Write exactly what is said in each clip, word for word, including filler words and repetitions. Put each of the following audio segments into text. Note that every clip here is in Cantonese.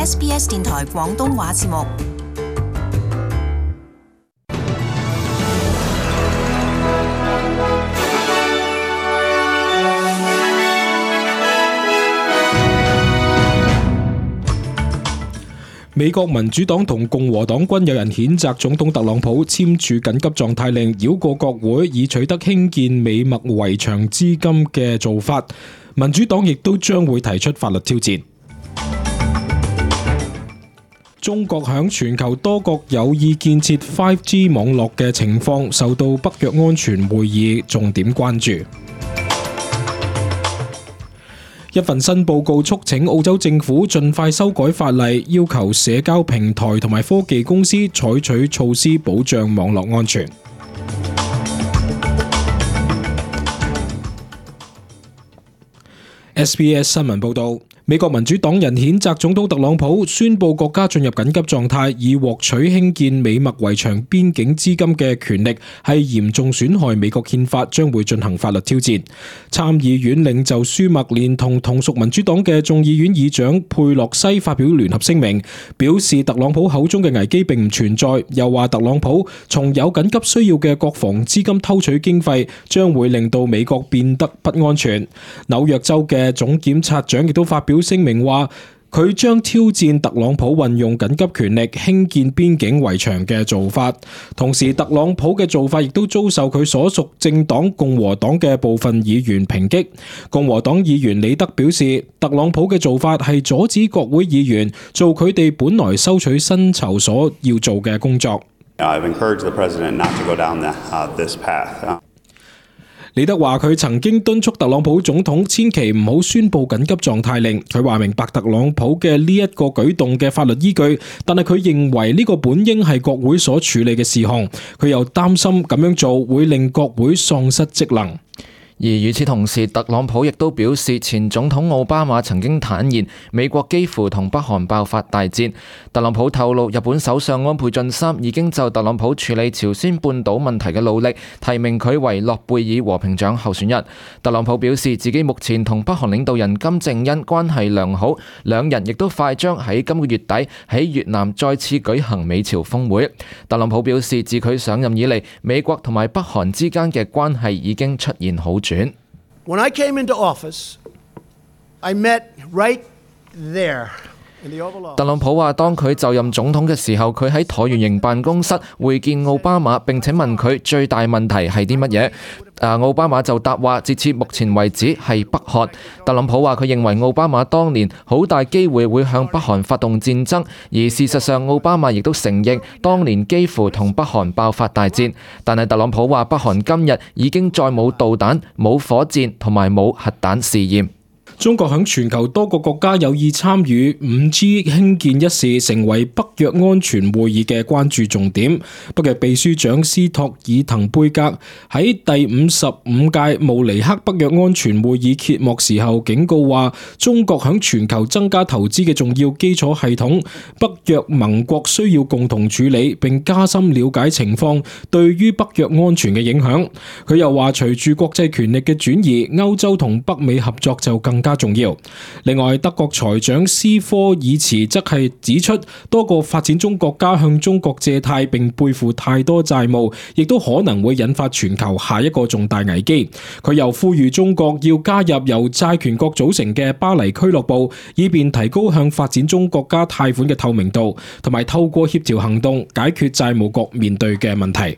S B S 電台廣東話節目。美國民主黨同共和黨均有人譴責總統特朗普簽署緊急狀態令，繞過國會以取得興建美墨圍牆資金嘅做法。民主黨亦都將會提出法律挑戰。中國響全球多國有意建設 五 G 網絡嘅情況受到北約安全會議重點關注。一份新報告促請澳洲政府盡快修改法例，要求社交平台同埋科技公司採取措施保障網絡安全。S B S 新聞報導，美國民主黨人譴責總統特朗普宣布國家進入緊急狀態，以獲取興建美墨圍牆邊境資金嘅權力係嚴重損害美國憲法，將會進行法律挑戰。參議院領袖舒默連同同屬民主黨嘅眾議院議長佩洛西發表聯合聲明，表示特朗普口中嘅危機並唔存在，又話特朗普從有緊急需要嘅國防資金偷取經費，將會令到美國變得不安全。紐約州嘅總檢察長亦都發表聲明話，佢將挑戰特朗普運用緊急權力興建邊境圍牆嘅做法。同時，特朗普嘅做法亦都遭受佢所屬政黨共和黨嘅部分議員抨擊。共和黨議員李德表示，特朗普嘅做法係阻止國會議員做佢哋本來收取薪酬所要做嘅工作。I've encouraged the president not to go down the, uh, this path. 李德話佢曾經敦促特朗普總統千祈唔好宣布緊急狀態令，佢話明白特朗普嘅呢一個舉動嘅法律依據，但係佢認為呢個本應係國會所處理嘅事項，佢又擔心咁樣做會令國會喪失職能。而與此同時，特朗普亦都表示，前總統奧巴馬曾經坦言美國幾乎同北韓爆發大戰。特朗普透露，日本首相安倍晉三已經就特朗普處理朝鮮半島問題嘅努力，提名佢為諾貝爾和平獎候選人。特朗普表示，自己目前同北韓領導人金正恩關係良好，兩人亦都快將喺今個月底喺越南再次舉行美朝峰會。特朗普表示，自佢上任以嚟，美國同埋北韓之間嘅關係已經出現好轉。When I came into office, I met right there in the Oval Office. 特朗普話，當佢就任總統嘅時候，佢喺橢圓形辦公室會見奧巴馬，並且問佢最大問題係啲乜嘢。啊，奧巴馬就答話，截至目前為止係北韓。特朗普話佢認為奧巴馬當年好大機會會向北韓發動戰爭，而事實上奧巴馬亦都承認當年幾乎同北韓爆發大戰。但係特朗普話北韓今日已經再冇導彈、冇火箭同埋冇核彈試驗。中國響全球多個國家有意參與 五 G 興建一事，成為北約安全會議嘅關注重點。北約秘書長斯托爾滕貝格喺第五十五屆慕尼黑北約安全會議揭幕時候警告話，中國響全球增加投資嘅重要基礎系統，北約盟國需要共同處理並加深了解情況對於北約安全嘅影響。佢又話，隨住國際權力嘅轉移，歐洲同北美合作就更加重要。另外，德國財長斯科爾茨則係指出，多個發展中國家向中國借貸並背負太多債務，亦都可能會引發全球下一個重大危機。佢又呼籲中國要加入由債權國組成嘅巴黎俱樂部，以便提高向發展中國家貸款嘅透明度，同埋透過協調行動解決債務國面對嘅問題。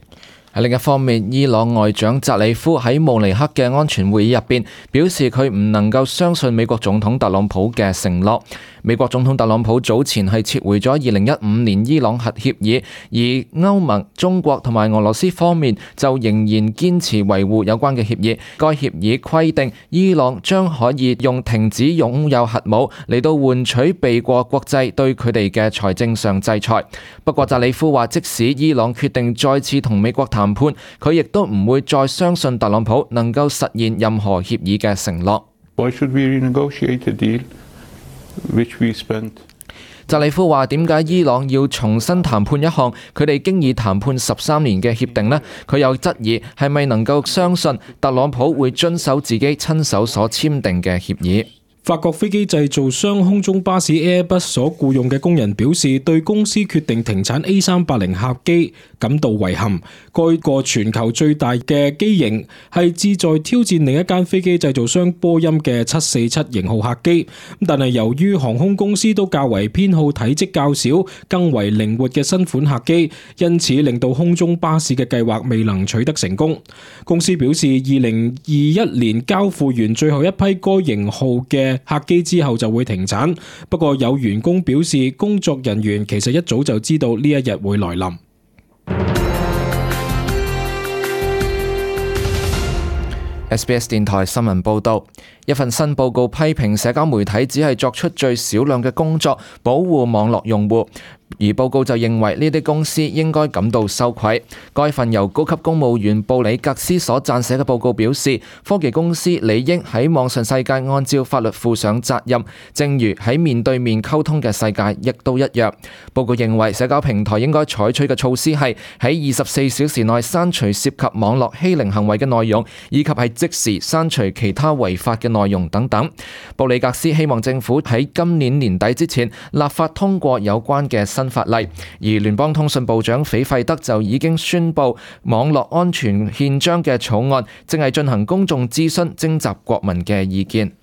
喺另一方面，伊朗外長扎里夫喺慕尼黑嘅安全會議入邊表示，佢唔能夠相信美國總統特朗普嘅承諾。美國總統特朗普早前係撤回咗二零一五年伊朗核協議，而歐盟、中國同埋俄羅斯方面就仍然堅持維護有關嘅協議。該協議規定，伊朗將可以用停止擁有核武嚟到換取避過國際對佢哋嘅財政上制裁。不過扎里夫話，即使伊朗決定再次同美國談判，佢亦都唔會再相信特朗普能夠實現任何協議嘅承諾。Why should we renegotiate a deal which we spent? 扎里夫話，點解伊朗要重新談判一項佢哋經已談判十三年嘅協定呢？佢又質疑係咪能夠相信特朗普會遵守自己親手所簽訂嘅協議。法國飛機製造商空中巴士 Airbus 所僱用嘅工人表示，對公司決定停產 A 三八零 客機感到遺憾。該個全球最大嘅機型係志在挑戰另一間飛機製造商波音嘅七四七型號客機，但係由於航空公司都較為偏好體積較小、更為靈活嘅新款客機，因此令到空中巴士嘅計劃未能取得成功。公司表示，二零二一年交付完最後一批該型號嘅客機之後就會停產，不過有員工表示，工作人員其實一早就知道呢一日會來臨。S B S 電台新聞報道，一份新報告批評社交媒體只係作出最少量嘅工作，保護網絡用戶。而報告就認為呢啲公司應該感到羞愧。該份由高級公務員布里格斯所撰寫嘅報告表示，科技公司理應喺網上世界按照法律負上責任，正如喺面對面溝通嘅世界亦都一樣。報告認為社交平台應該採取嘅措施係喺二十四小時內刪除涉及網絡欺凌行為嘅內容，以及係即時刪除其他違法嘅內容等等。布里格斯希望政府喺今年年底之前立法通過有關嘅新法例，而聯邦通訊部長斐費德就已經宣布網絡安全憲章嘅草案正係進行公眾諮詢，徵集國民嘅意見。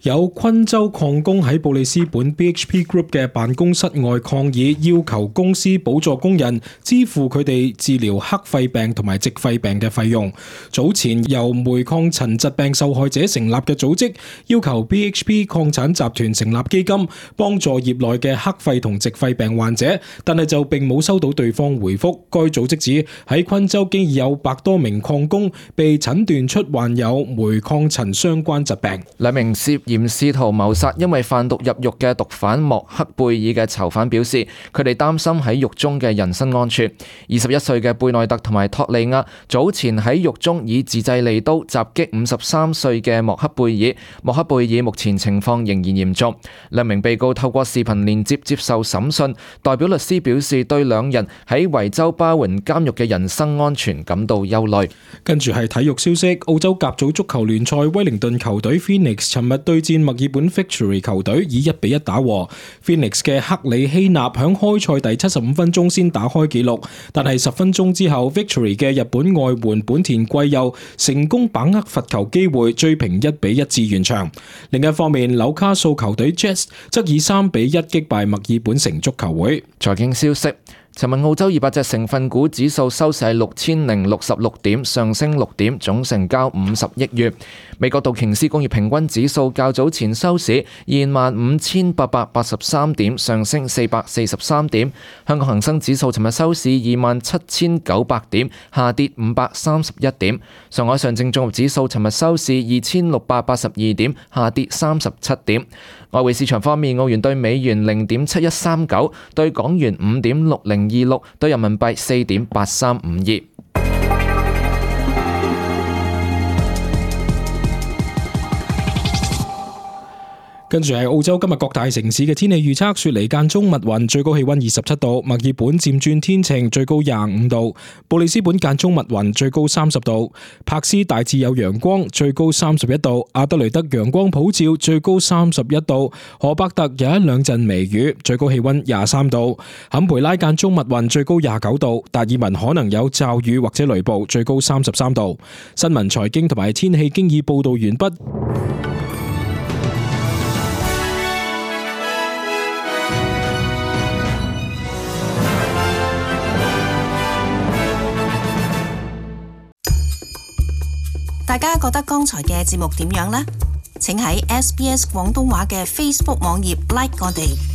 有昆州礦工喺布里斯本 B H P Group 嘅辦公室外抗議，要求公司補助工人支付佢哋治療黑肺病同埋矽肺病嘅費用。早前由煤礦塵疾病受害者成立嘅組織要求 B H P 礦產集團成立基金，幫助業內嘅黑肺同矽肺病患者，但係就並冇收到對方回覆。該組織指喺昆州經已有百多名礦工被診斷出患有煤礦塵相關疾病。兩名涉嫌試圖謀殺因為販毒入獄嘅毒販莫克貝爾嘅囚犯表示，佢哋擔心喺獄中嘅人身安全。二十一歲嘅貝內特同埋托利亞早前喺獄中以自製利刀襲擊五十三歲嘅莫克貝爾。莫克貝爾目前情況仍然嚴重。兩名被告透過視頻連接接受審訊，代表律師表示對兩人喺維州巴雲監獄嘅人身安全感到憂慮。跟住係體育消息，澳洲甲組足球聯賽威靈頓球隊 Phoenix 尋日對戰墨爾本 Victory 球隊以一比一打和。Phoenix 嘅克里希納響開賽第七十五分鐘先打開紀錄，但係十分鐘之後 Victory 嘅日本外援本田貴佑成功把握罰球機會追平一比一至完場。另一方面，紐卡素球隊 Jets 則以三比一擊敗墨爾本城足球會。財經消息，尋日澳洲二百隻成分股指數收市係六千零六十六點，上升六點，總成交五十億元。美國道瓊斯工業平均指數較早前收市二萬五千八百八十三點，上升四百四十三點。香港恒生指數尋日收市二萬七千九百點，下跌五百三十一點。上海上證綜合指數尋日收市二千六百八十二點，下跌三十七點。外匯市場方面，澳元對美元零點七一三九，對港元五點六零二六，對人民幣四點八三五二。跟住係澳洲今日各大城市嘅天氣預測，雪梨間中密雲，最高氣溫二十七度；墨爾本漸轉天晴，最高廿五度；布里斯本間中密雲，最高三十度；柏斯大致有陽光，最高三十一度；阿德雷德陽光普照，最高三十一度；荷伯特有一兩陣微雨，最高氣溫廿三度；坎培拉間中密雲，最高廿九度；達爾文可能有驟雨或者雷暴，最高三十三度。新聞財經同埋天氣經已報道完畢。大家覺得剛才嘅節目點樣呢？請喺 S B S 廣東話嘅 Facebook 網頁 like 我哋。